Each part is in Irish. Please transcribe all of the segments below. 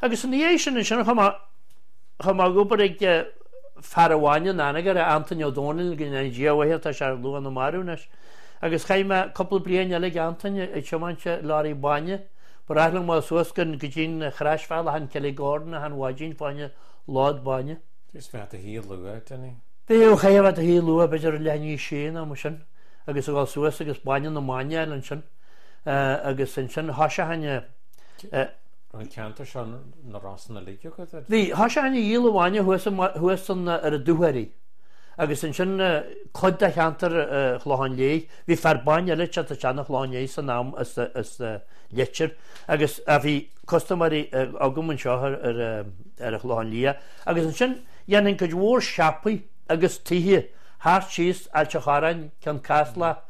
Agus ina dhiaidh sin ansin chuaigh mé, chuaigh mé ag obair ag fear an bhainne in Anagaire, Antaine Ó Dónaill, go ndéana Dia a mhaith air, tá sé luath ina marbh anois. Agus chaith mé cúpla bliain eile ag Antaine ag tiomáint leoraí bainne. Ba ghnách liom dul suas go dtí'n chroisbhealach in Killygordon achan mhaidin fá choinne lód bainne. Bhí tú i do shuí luath, Dinny. Bhí, chaithfeá a bheith i do shuí luath, b'fhéidir leath i ndiaidh a sé nó mar sin, agus a dhul suas agus bainne na mban a fháil ansin. Agus ansin thoiseochainn a. Raibh an ceantar seo na Rosann uilig agat? Bhí, thoiseochainn a dhíol an bhainne thuas, thuas san, ar an Dúchoraidh. Agus ansin cuid de cheantar Chlocháin Léith, bhí fear bainne eile ag teacht isteach 'na Chlocháin Léith san am as, as Leitir agus bhí custaiméirí agam anseo ar, ar, ar an Chlochán Liath. Agus ansin dhéanfainn cuid mhór siopaí agus tithe thart síos Ailt an Chorráin, Ceann Caslach,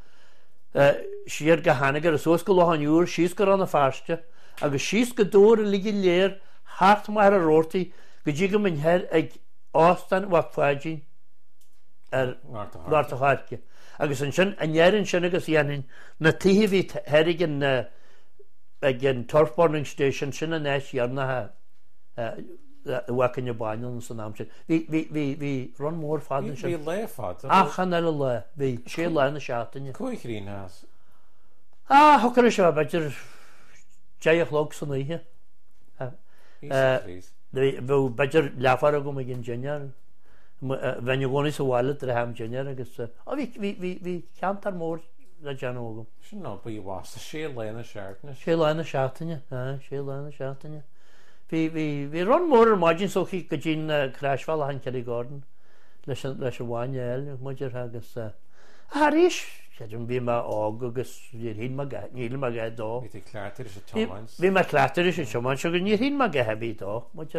siar go hAnagaire, suas go Loch an Iúir, síos go Rann na Feirste agus síos go Dobhar uilig go léir thart Machaire Rabhartaigh go dtí go mbeinn thoir ag Óstán Mhac Pháidín ar Ghort an Choirce. Agus ansin aniar ansin agus dhéanfainn na tithe a bhí thoir ag an ag an Turf Burning Station, sin an áit dheireanach a bhfágfainn an bainne ann san am sin. Bhí, bhí, bhí, bhí run mór fada ansin. Bhí lá fada. Achan uile lá. Bhí sé lá na seachtaine. Cá chríochnaigh as? Ah, thiocfadh leis a bheith b'fhéidir 10 a chlog san oíche. Bhí, bheadh b'fhéidir leathuair agam ag an dinnéar. Bheinn i gcónaí sa bhaile tar éis am dinnéir agus, ah, bhí, bhí, bhí, bhí ceantar mór le déanamh agam. Sin obair mhaith, sé lá na seachtaine. Sé lá na seachtaine, aye, sé lá na seachtaine. Bhí, bhí, bhí run mór ar maidin so go dtí'n croisbhealach in Killygordon leis an, leis an bhainne a fháil, muid agus eh, ach arís, creidim, bhí mé óg agus níor shíl mé go, níl mé a dhath dó. Bhí tú cleachtaithe leis an tiomáint. Bhí mé cleachtaithe leis an tiomáint agus níor shíl mé a dhath ar bith dó, muid.